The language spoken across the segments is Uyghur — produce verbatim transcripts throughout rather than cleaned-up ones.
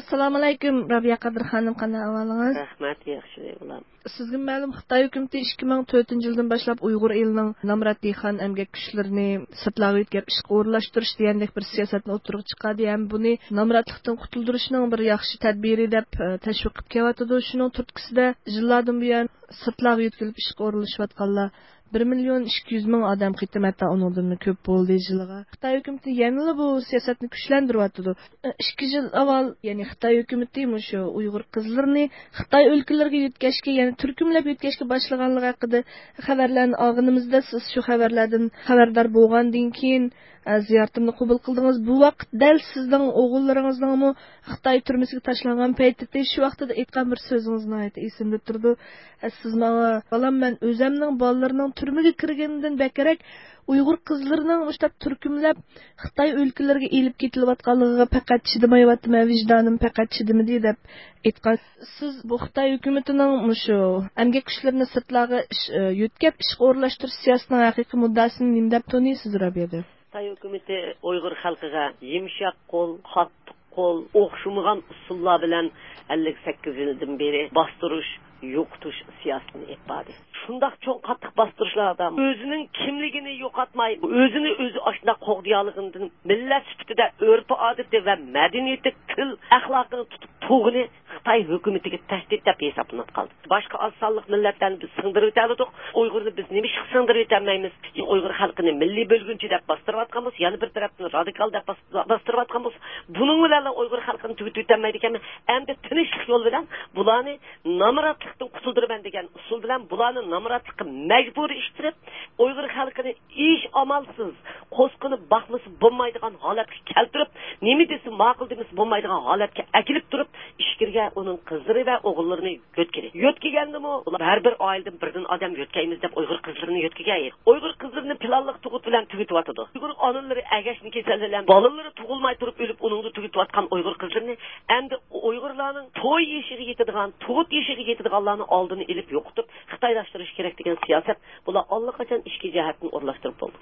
ئەسسالامۇئەلەيكۇم، رابىيە قادىر خانىم، قانداق ئەھۋالىڭىز؟ رەھمەت، ياخشى، بالام. سىزگە مەلۇم، خىتاي ھۆكۈمىتى ئىككى مىڭ تۆتىنچى يىلدىن باشلاپ ئۇيغۇر ئېلىنىڭ نامرات دېھقان ئەمگەك كۈچلىرىنى سىرتلارغا يۆتكەپ ئىشقا ئورۇنلاشتۇرۇش دېگەندەك بىر سىياسەتنى ئوتتۇرىغا چىقاردى ھەم بۇنى نامراتلىقتىن قۇتۇلدۇرۇشنىڭ بىر ياخشى تەدبىرى دەپ، ئە، تەشۋىق قىلىپ كېلىۋاتىدۇ. شۇنىڭ تۈرتكىسىدە يىللاردىن بۇيان سىرتلارغا يۆتكىلىپ ئىشقا ئورۇنلىشىۋاتقانلار بىر مىليون ئىككى يۈز مىڭ ئادەم قېتىم، ھەتتا ئۇنىڭدىنمۇ كۆپ بولدى يىلىغا. خىتاي ھۆكۈمىتى يەنىلا بۇ سىياسەتنى كۈچلەندۈرۈۋاتىدۇ. ئىككى يىل ئاۋۋال، يەنى خىتاي ھۆكۈمىتى مۇشۇ ئۇيغۇر قىزلىرىنى خىتاي ئۆلكىلىرىگە يۆتكەشكە، يەنى تۈركۈملەپ يۆتكەشكە باشلىغانلىقى ھەققىدە خەۋەرلەرنى ئالغىنىمىزدا، سىز شۇ خەۋەرلەردىن خەۋەردار بولغاندىن كېيىن، ئە، زىيارىتىمنى قوبۇل قىلدىڭىز. بۇ ۋاقىت دەل سىزنىڭ ئوغۇللىرىڭىزنىڭمۇ خىتاي تۈرمىسىگە تاشلانغان پەيتىدى. شۇ ۋاقتىدا ئېيتقان بىر سۆزىڭىز ناھايىتى ئېسىمدە تۇرىدۇ. ئە، سىز ماڭا، بالام، مەن ئۆزەمنىڭ بالىلىرىنىڭ تۈرمىگە كىرگىنىدىن بەكرەك ئۇيغۇر قىزلىرىنىڭ مۇشۇنداق تۈركۈملەپ خىتاي ئۆلكىلىرىگە ئېلىپ كېتىلىۋاتقانلىقىغا پەقەت چىدىمايۋاتىمەن، ۋىجدانىم پەقەت چىدىمىدى، دەپ ئېيتقان. سىز بۇ خىتاي ھۆكۈمىتىنىڭ مۇشۇ ئەمگەك كۈچلىرىنى سىرتلارغا ئىش-، ئە، يۆتكەپ ئىشقا ئورۇنلاشتۇرۇش سىياسىتىنىڭ ھەقىقىي مۇددىئاسىنى نېمە دەپ تونۇيسىز، رابىيە؟ خىتاي ھۆكۈمىتى ئۇيغۇر خەلقىگە يۇمشاق قول، قاتتىق قول، ئوخشىمىغان ئۇسۇللار بىلەن ئەللىك سەككىز يىلدىن بېرى باستۇرۇش، يوقىتىش سىياسىتىنى ئېلىپ باردى. شۇنداق چوڭ قاتتىق باستۇرۇشلاردا ئۆزىنىڭ كىملىكىنى يوقاتماي، ئۆزىنى ئۆزى ئاشۇنداق قوغدىيالىغىنىدىن مىللەت سۈپىتىدە ئۆرپ-ئادىتى ۋە مەدەنىيىتى، تىل، ئەخلاقىنى تۇتۇپ تۇرغىنى خىتاي ھۆكۈمىتىگە تەھدىت دەپ ھېسابلىنىپ قالدى. باشقا ئاز سانلىق مىللەتلەرنى بىز سىڭدۈرۈۋېتەلىدۇق. ئۇيغۇرنى بىز نېمىشقا سىڭدۈرۈۋېتەلمەيمىز؟ ئۇيغۇر خەلقىنى مىللىي بۆلگۈنچى دەپ باستۇرۇۋاتقان بولسا، يەنە بىر تەرەپتىن رادىكال دەپ باس-، باستۇرۇۋاتقان بولسا، بۇنىڭ بىلەنلا ئۇيغۇر خەلقىنى تۈگىتىۋېتەلمەيدىكەنمەن. ئەمدى تىنچلىق يولى بىلەن بۇلارنى نامراتلىقتىن قۇتۇلدۇرىمەن دېگەن ئۇسۇل بىلەن بۇلارنى نامراتلىققا مەجبۇرىي ئىتتىرىپ، ئۇيغۇر خەلقىنى ئىش ئامالسىز، قوسقىنى باقمىسا بولمايدىغان ھالەتكە كەلتۈرۈپ، نېمە دېسە ماقۇل دېمىسە بولمايدىغان ھالەتكە ئەكېلىپ تۇرۇپ، ئىچكىرىگە ئۇنىڭ قىزلىرى ۋە ئوغۇللىرىنى يۆتكىدى. يۆتكىگەندىمۇ ئۇلار ھەر بىر ئائىلىدىن بىردىن ئادەم يۆتكەيمىز دەپ ئۇيغۇر قىزلىرىنى يۆتكىگەن ئىدى. ئۇيغۇر قىزلىرىنى پىلانلىق تۇغۇت بىلەن تۈگىتىۋاتىدۇ. ئۇيغۇر ئانىلىرى ئەگەشمە كېسەلى بىلەن بالىلىرى تۇغۇلماي تۇرۇپ ئۆلۈپ، ئۇنىڭدا تۈگىتىۋاتقان ئۇيغۇر قىزلىرىنى ئەمدى ئۇيغۇرلارنىڭ توي يېشىغا يېتىدىغان، تۇغۇت يېشىغا يېتىدىغانلارنىڭ ئالدىنى ئېلىپ يوقىتىپ، خىتايلاشتۇرۇش كېرەك دېگەن سىياسەت، بۇلار ئاللىقاچان ئىچكى جەھەتتىن ئورۇنلاشتۇرۇپ بولدى.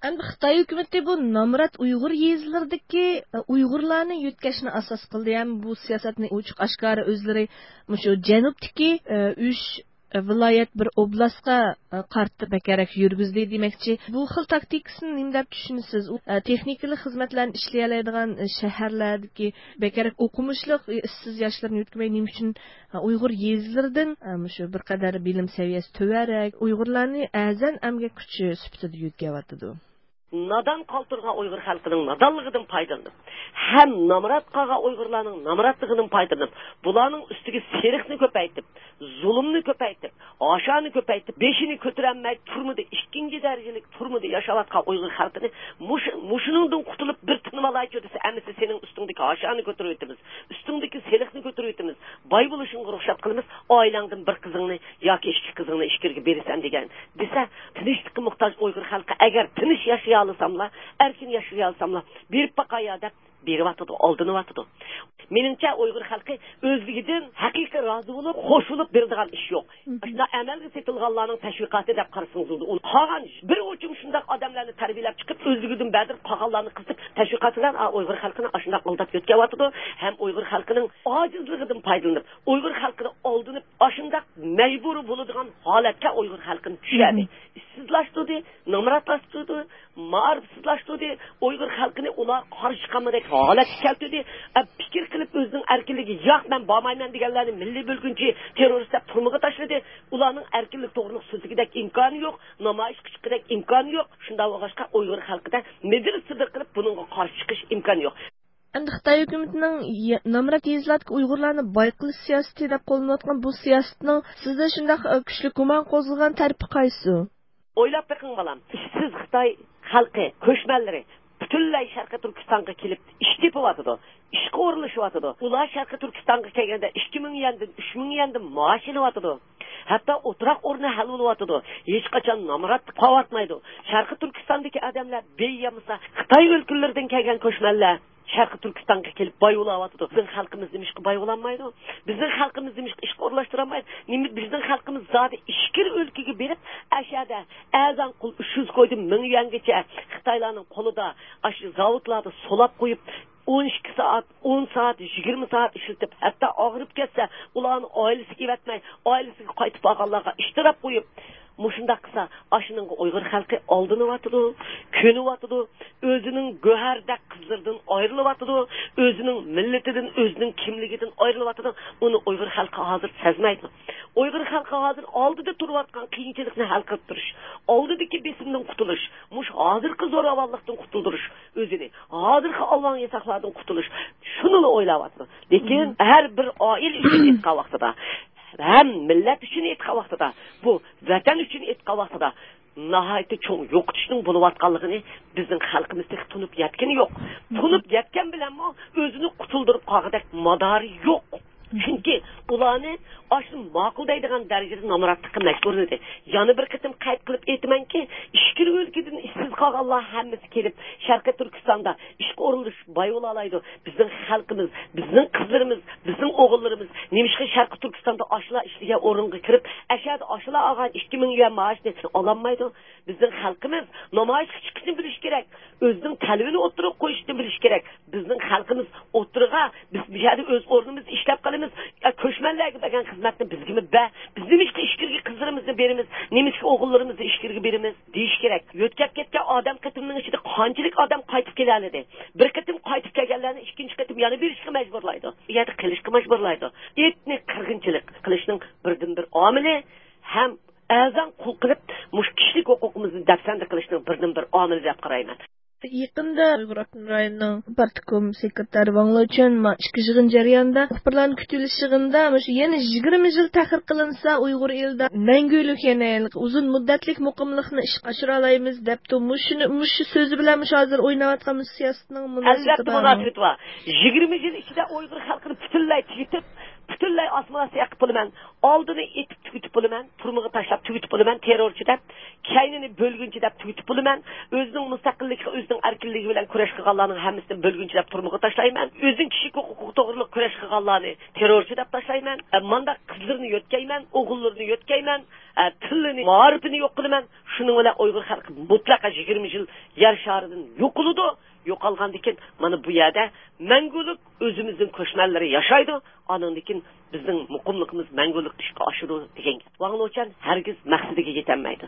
ئەمدى خىتاي ھۆكۈمىتى بۇ نامرات ئۇيغۇر يېزىلىرىدىكى، ئە، ئۇيغۇرلارنى يۆتكەشنى ئاساس قىلدى. ھەم بۇ سىياسەتنى ئوچۇق ئاشكارا ئۆزلىرى مۇشۇ جەنۇبتىكى، ئە، ئۈچ ۋىلايەت بىر ئوبلاستقا، ئە، قارىتىپ بەكرەك يۈرگۈزدى دېمەكچى. بۇ خىل تاكتىكىسىنى نېمە دەپ چۈشىنىسىز؟ ئۇ، ئە، تېخنىكىلىق خىزمەتلەرنى ئىشلىيەلەيدىغان، ئە، شەھەرلەردىكى بەكرەك ئوقۇمۇشلۇق، ئە، ئىشسىز ياشلىرىنى يۆتكىمەي نېمە ئۈچۈن ئۇيغۇر يېزىلىرىدىن، ئە، مۇشۇ بىر قەدەر بىلىم سەۋىيەسى تۆۋەنرەك ئۇيغۇرلارنى ئەرزان ئەمگەك كۈچى سۈپىتىدە يۆتكەۋاتىدۇ. نادان قالتۇرغان ئۇيغۇر خەلقىنىڭ نادانلىقىدىن پايدىلىنىپ، ھەم نامرات قالغان ئۇيغۇرلارنىڭ نامراتلىقىدىن پايدىلىنىپ، بۇلارنىڭ ئۈستىگە سېلىقنى كۆپەيتىپ، زۇلۇمنى كۆپەيتىپ، ھاشانى كۆپەيتىپ، بېشىنى كۆتۈرەلمەي تۈرمىدە، ئىككىنچى دەرىجىلىك تۈرمىدە ياشاۋاتقان ئۇيغۇر خەلقىنى مۇشۇ، مۇشۇنىڭدىن قۇتۇلۇپ بىر تىنىۋالايچۇ دېسە، ئەمىسە سېنىڭ ئۈستۈڭدىكى ھاشانى كۆتۈرۈۋېتىمىز، ئۈستۈڭدىكى سېلىقنى كۆتۈرۈۋېتىمىز، باي بولۇشۇڭغا رۇخسەت قىلىمىز، ئائىلەڭدىن بىر قىزىڭنى ياكى ئىككى قىزىڭنى ئىچكىرىگە بېرىسەن دېگەن دېسە، تىنچلىققا موھتاج ئۇيغۇر خەلقى ئەگەر تىنچ ياشىيالىساملا، ئەركىن ياشىيالىساملا، بېرىپ باقايا دەپ بېرىۋاتىدۇ، ئالدىنىۋاتىدۇ. مېنىڭچە، ئۇيغۇر خەلقى ئۆزلۈكىدىن ھەقىقىي رازى بولۇپ، خوش بولۇپ بېرىدىغان ئىش يوق. مم. ئاشۇنداق ئەمەلگە سېتىلغانلارنىڭ تەشۋىقاتى دەپ قارىسىڭىز بولىدۇ. ئۇنى قالغان بىر ئوچۇم شۇنداق ئادەملەرنى تەربىيەلەپ چىقىپ، ئۆزلۈكىدىن بەردۈرۈپ، قالغانلارنى قىزىتىپ، تەشۋىقات بىلەن، ئا، ئۇيغۇر خەلقىنى ئاشۇنداق ئالداپ يۆتكەۋاتىدۇ. ھەم ئۇيغۇر خەلقىنىڭ ئاجىزلىقىدىن پايدىلىنىپ، ئۇيغۇر خەلقىنى ئالدىنىپ، ئاشۇنداق مەجبۇرىي بولىدىغان ھالەتكە ئۇيغۇر خەلقىنى چۈشۈردى. مم. ئىشسىزلاشتۇردى، نامراتلاشتۇردى، مائارىپسىزلاشتۇردى، ئۇيغۇر خەلقىنى ئۇلار قارشى چىقالمىدەك ھالەتكە كەلتۈردى. ئە، پىكىر قىلىپ ئۆزىنىڭ ئەركىنلىكى ياق، مەن بارمايمەن دېگەنلەرنى مىللىي بۆلگۈنچى، تېررورىست دەپ تۈرمىگە تاشلىدى. ئۇلارنىڭ ئەركىنلىك توغرىلىق سۆزلىگۈدەك ئىمكانى يوق، نامايىشقا چىققۇدەك ئىمكانى يوق. شۇنداق بولغاچقا ئۇيغۇر خەلقىدە مىدىر-سىدىر قىلىپ بۇنىڭغا قارشى چىقىش ئىمكانى يوق. ئەمدى خىتاي ھۆكۈمىتىنىڭ يە-، نامرات يېزىلاردا ئۇيغۇرلارنى باي قىلىش سىياسىتى دەپ قوللىنىۋاتقان بۇ سىياسىتىنىڭ سىزدە شۇنداق، ئە، كۈچلۈك گۇمان قوزغىغان تەرىپى قايسى؟ ئويلاپ بېقىڭ، بالام. ئىشسىز خىتاي خەلقى، كۆچمەنلىرى پۈتۈنلەي شەرقىي تۈركىستانغا كېلىپ ئىش تېپىۋاتىدۇ، ئىشقا ئورۇنلىشىۋاتىدۇ. ئۇلار شەرقىي تۈركىستانغا كەلگەندە ئىككى مىڭ يەندىن، ئۈچ مىڭ يەندىن مائاش ئېلىۋاتىدۇ. ھەتتا ئولتۇراق ئورنى ھەل بولۇۋاتىدۇ. ھېچقاچان نامرات قېلىۋاتمايدۇ. شەرقىي تۈركىستاندىكى ئادەملەر بېيى يامىسا، خىتاي ئۆلكىلىرىدىن كەلگەن كۆچمەنلەر شەرقىي تۈركىستانغا كېلىپ باي بولاۋاتىدۇ. بىزنىڭ خەلقىمىز نېمىشقا باي بولالمايدۇ؟ بىزنىڭ خەلقىمىز نېمىشقا ئىشقا ئورۇنلاشتۇرالمايدۇ؟ نېمە بىزنىڭ خەلقىمىز زادى ئىچكىرى ئۆلكىگە بېرىپ، ئەشەدە ئەرزان قۇل ئۈچ يۈز كويدىن مىڭ يۈەنگىچە خىتايلارنىڭ قولىدا، ئاشۇ زاۋۇتلاردا سولاپ قويۇپ، ئون ئىككى سائەت، ئون سائەت، يىگىرمە سائەت ئىشلىتىپ، ھەتتا ئاغرىپ كەتسە، ئۇلارنى ئائىلىسىگە ئەۋەتمەي، ئائىلىسىگە قايتىپ بارغانلارغا ئىشتىراپ قويۇپ، مۇشۇنداق قىلسا، ئاشۇنىڭغا ئۇيغۇر خەلقى ئالدىنىۋاتىدۇ، كۆنۈۋاتىدۇ، ئۆزىنىڭ گۆھەردەك قىزلىرىدىن ئايرىلىۋاتىدۇ، ئۆزىنىڭ مىللىتىدىن، ئۆزىنىڭ كىملىكىدىن ئايرىلىۋاتىدۇ. ئۇنى ئۇيغۇر خەلقى ھازىر سەزمەيدۇ. ئۇيغۇر خەلقى ھازىر ئالدىدا تۇرۇۋاتقان قىيىنچىلىقنى ھەل قىلىپ تۇرۇش، ئالدىدىكى بېسىمدىن قۇتۇلۇش، مۇشۇ ھازىرقى زوراۋانلىقتىن قۇتۇلدۇرۇش ئۆزىنى، ھازىرقى ئالۋاڭ ياساقلاردىن قۇتۇلۇش، شۇنىلا ئويلاۋاتىدۇ. لېكىن ھەر بىر ئائىلە ئۈچۈن ئېيتقان ۋاقتىدا، ھەم مىللەت ئۈچۈن ئېيتقان ۋاقتىدا، بۇ ۋەتەن ئۈچۈن ئېيتقان ۋاقتىدا ناھايىتى چوڭ يوقىتىشنىڭ بولۇۋاتقانلىقىنى بىزنىڭ خەلقىمىز تېخى تونۇپ يەتكىنى يوق. تونۇپ يەتكەن بىلەنمۇ ئۆزىنى قۇتۇلدۇرۇپ قالغۇدەك مادارى يوق. چۈنكى ئۇلارنى ئاشۇ ماقۇل دەيدىغان دەرىجىدە نامراتلىققا مەجبۇرلىدى. يەنە بىر قېتىم قەيت قىلىپ ئېيتىمەنكى، ئىچكىرى ئۆلكىدىن ئىشسىز قالغانلار ھەممىسى كېلىپ، شەرقىي تۈركىستاندا ئىشقا ئورۇنلىشىپ باي بولالايدۇ. بىزنىڭ خەلقىمىز، بىزنىڭ قىزلىرىمىز، بىزنىڭ ئوغۇللىرىمىز نېمىشقا شەرقىي تۈركىستاندا ئاشۇلار ئىشلىگەن ئورۇنغا كىرىپ، ئەشەدە ئاشۇلار ئالغان ئىككى مىڭ يۈەن مائاشنى ئالالمايدۇ؟ بىزنىڭ خەلقىمىز نامايىشقا چىقىشنى بىلىشى كېرەك. ئۆزىنىڭ تەلىپىنى ئوتتۇرىغا قويۇشنى بىلىشى كېرەك. بىزنىڭ خەلقىمىز ئوتتۇرىغا، بىز بۇ يەردە ئۆز ئورنىمىزدا ئىشلەپ قالىمىز. يا كۆچمەنلەرگە بەرگەن خىزمەتنى بىزگىمۇ بەر. بىز نېمىشقا ئىچكىرىگە قىزلىرىمىزنى بېرىمىز؟ نېمىشقا ئوغۇللىرىمىزنى ئىچكىرىگە بېرىمىز؟ دېيىش كېرەك. يۆتكەپ كەتكەن ئادەم قېتىمنىڭ ئىچىدە قانچىلىك ئادەم قايتىپ كېلەلىدى؟ بىر قېتىم قايتىپ كەلگەنلەرنى ئىككىنچى قېتىم يەنە بېرىشكە مەجبۇرلايدۇ. بۇ يەردە قېلىشقا مەجبۇرلايدۇ. ئېتنىك قىرغىنچىلىق قىلىشنىڭ بىردىنبىر ئامىلى ھەم ئەرزان قۇل قىلىپ، مۇشۇ كىشىلىك ھوقۇقىمىزنى دەپسەندە قىلىشنىڭ بىردىنبىر ئامىلى دەپ قارايمەن. يېقىندا ئۇيغۇر ئاپتونوم رايونىنىڭ پارتكوم سېكرېتارى ۋاڭ لېچۈەن ما ئىككى يىغىن جەريانىدا مۇخبىرلارنى كۈتۈۋېلىش يىغىنىدا مۇشۇ يەنە يىگىرمە يىل تەخىر قىلىنسا، ئۇيغۇر ئېلىدا مەڭگۈلۈك يەنە ئۇزۇن مۇددەتلىك مۇقىملىقنى ئىشقا ئاشۇرالايمىز دەپتۇ. مۇشۇنى، مۇشۇ سۆزى بىلەن مۇشۇ ھازىر ئويناۋاتقان مۇشۇ سىياسىتىنىڭ مۇناسىۋىتى ئەلۋەتتە بارمۇ؟ مۇناسىۋىتى بار. يىگىرمە يىل ئىچىدە ئۇيغۇر خەلقىنى پۈتۈنلەي تۈگىتىپ، پۈتۈنلەي ئاسسىمىلياتسىيە قىلىپ بولىمەن. ئالدىنى ئېتىپ تۈگىتىپ بولىمەن، تۈرمىگە تاشلاپ تۈگىتىپ بولىمەن، تېررورچى دەپ، كەينىنى بۆلگۈنچى دەپ تۈگىتىپ بولىمەن، ئۆزىنىڭ مۇستەقىللىكى، ئۆزىنىڭ ئەركىنلىكى بىلەن كۈرەش قىلغانلارنىڭ ھەممىسىنى بۆلگۈنچى دەپ تۈرمىگە تاشلايمەن، ئۆزىنىڭ كىشىلىك ھوقۇقى توغرىلىق كۈرەش قىلغانلارنى تېررورچى دەپ تاشلايمەن، ئە، مانداق قىزلىرىنى يۆتكەيمەن، ئوغۇللىرىنى يۆتكەيمەن، ئە، تىلىنى، مائارىپىنى يوق قىلىمەن. شۇنىڭ بىلەن ئۇيغۇر خەلقى مۇتلەقا يىگىرمە يىل يەر شارىدىن يوقىلىدۇ. يوقالغاندىن كېيىن مانا بۇ يەردە مەڭگۈلۈك ئۆزىمىزنىڭ كۆچمەنلىرى ياشايدۇ. ئانىڭدىن كېيىن بىزنىڭ مۇقىملىقىمىز مەڭگۈلۈك ئىشقا ئاشىدۇ دېگەن گەپ. ۋاڭ لېچۈەن ھەرگىز مەقسىتىگە يېتەلمەيدۇ.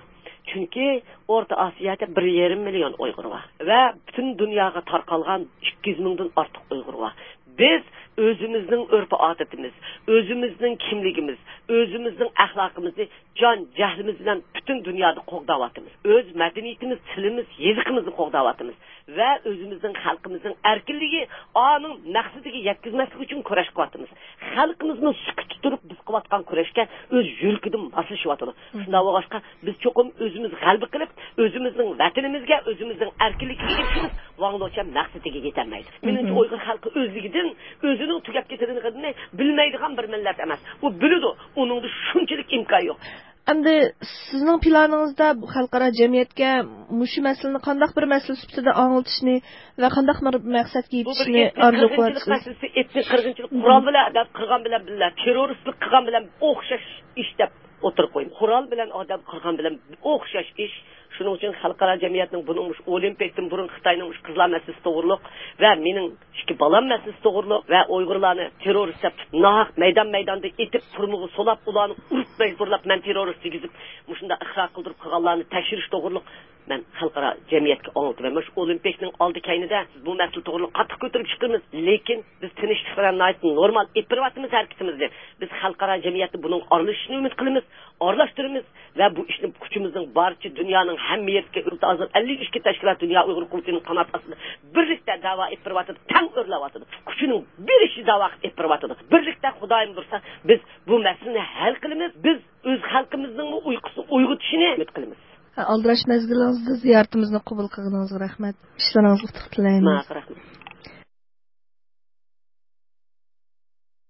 چۈنكى ئورتا ئاسىيادا بىر يېرىم مىليون ئۇيغۇر بار ۋە پۈتۈن دۇنياغا تارقالغان ئىككى يۈز مىڭدىن ئارتۇق ئۇيغۇر بار. بىز ئۆزىمىزنىڭ ئۆرپ-ئادىتىمىز، ئۆزىمىزنىڭ كىملىكىمىز، ئۆزىمىزنىڭ ئەخلاقىمىزنى جان جەھلىمىز بىلەن پۈتۈن دۇنيادا قوغداۋاتىمىز. ئۆز مەدەنىيىتىمىز، تىلىمىز، يېزىقىمىزنى قوغداۋاتىمىز. ۋە ئۆزىمىزنىڭ خەلقىمىزنىڭ ئەركىنلىكى ئانىڭ مەقسىتىگە يەتكۈزمەسلىك ئۈچۈن كۈرەش قىلىۋاتىمىز. خەلقىمىزمۇ سۈكۈتتە تۇرۇپ بىز قىلىۋاتقان كۈرەشكە ئۆز يۈرىكىدىن ماسلىشىۋاتىدۇ. شۇنداق بولغاچقا، بىز چوقۇم ئۆزىمىز غەلىبە قىلىپ، ئۆزىمىزنىڭ ۋەتىنىمىزگە، ئۆزىمىزنىڭ ئەركىنلىكىگە ئېرىشىمىز. ۋاڭ لېچۈەن مەقسىتىگە يېتەلمەيدۇ. مېنىڭچە، ئۇيغۇر خەلقى ئۆزلۈكىدىن ئۆزىنىڭ تۈگەپ كېتىدىغىنىنى بىلمەيدىغان بىر مىللەت ئەمەس. ئۇ بىلىدۇ، ئۇنىڭدا شۇنچىلىك ئىمكان يوق. ئەمدى سىزنىڭ پىلانىڭىزدا بۇ خەلقئارا جەمئىيەتكە مۇشۇ مەسىلىنى قانداق بىر مەسىلە سۈپىتىدە ئاڭلىتىشنى ۋە قانداق بىر مەقسەتكە يېتىشنى ئېتنىك ئارزۇ قىرغىنچىلىق قىلىۋاتىسىز؟ مەسىلىسى، ئېتنىك قىرغىنچىلىق قورال بىلەن ئادەم قىرغان بىلەن بىللە، تېررورىستلىق قىلغان بىلەن ئوخشاش ئىش دەپ ئوتتۇرىغا قويدۇم. قورال بىلەن ئادەم قىرغان بىلەن ئوخشاش ئىش. شۇنىڭ ئۈچۈن خەلقئارا جەمئىيەتنىڭ بۇنىڭ مۇشۇ ئولىمپىكتىن بۇرۇن خىتاينىڭ مۇشۇ قىزلار مەسىلىسى توغرۇلۇق ۋە مېنىڭ ئىككى بالام مەسىلىسى توغرۇلۇق ۋە ئۇيغۇرلارنى تېررورىست دەپ تۇتۇپ، ناھەق مەيدان-مەيداندا ئېتىپ، تۈرمىگە سولاپ، ئۇلارنى ئۇرۇپ مەجبۇرلاپ، مەن تېررورىست دېگۈزۈپ، مۇشۇنداق ئىقرار قىلدۇرۇپ قىلغانلارنى تەكشۈرۈش توغرۇلۇق مەن خەلقئارا جەمئىيەتكە ئاڭلىتىمەن. مۇشۇ ئولىمپىكنىڭ ئالدى كەينىدە بىز بۇ مەسىلە توغرۇلۇق قاتتىق كۆتۈرۈپ چىقىمىز، لېكىن بىز تىنچلىق بىلەن ناھايىتى نورمال ئېلىپ بېرىۋاتىمىز ھەرىكىتىمىزنى. بىز خەلقئارا جەمئىيەتتە بۇنىڭغا ئارىلىشىشنى ئۈمىد قىلىمىز، ئارىلاشتۇرىمىز. ۋە بۇ ئىشنى كۈچىمىزنىڭ بارىچە دۇنيانىڭ ھەممە يېرىدىكى ئۆلتە ئازاد ئەللىك ئىككى تەشكىلات دۇنيا ئۇيغۇر قۇرۇلتىيىنىڭ قانات ئاستىدا بىرلىكتە داۋا ئېلىپ بېرىۋاتىدۇ، تەڭ ئۆرلەۋاتىدۇ. كۈچىنىڭ بېرىشىچە داۋا ئېلىپ بېرىۋاتىدۇ. بىرلىكتە خۇدايىم بۇيرۇسا بىز بۇ مەسىلىنى ھەل قىلىمىز. بىز ئۆز خەلقىمىزنىڭمۇ ئۇيقۇسىنى ئويغىتىشىنى ئۈمىد قىلىمىز. ئالدىراش مەزگىلىڭىزدە زىيارىتىمىزنى قوبۇل قىلغىنىڭىزغا رەھمەت. ئىشلىرىڭىزغا ئۇتۇق تىلەيمىز. ماڭا رەھمەت.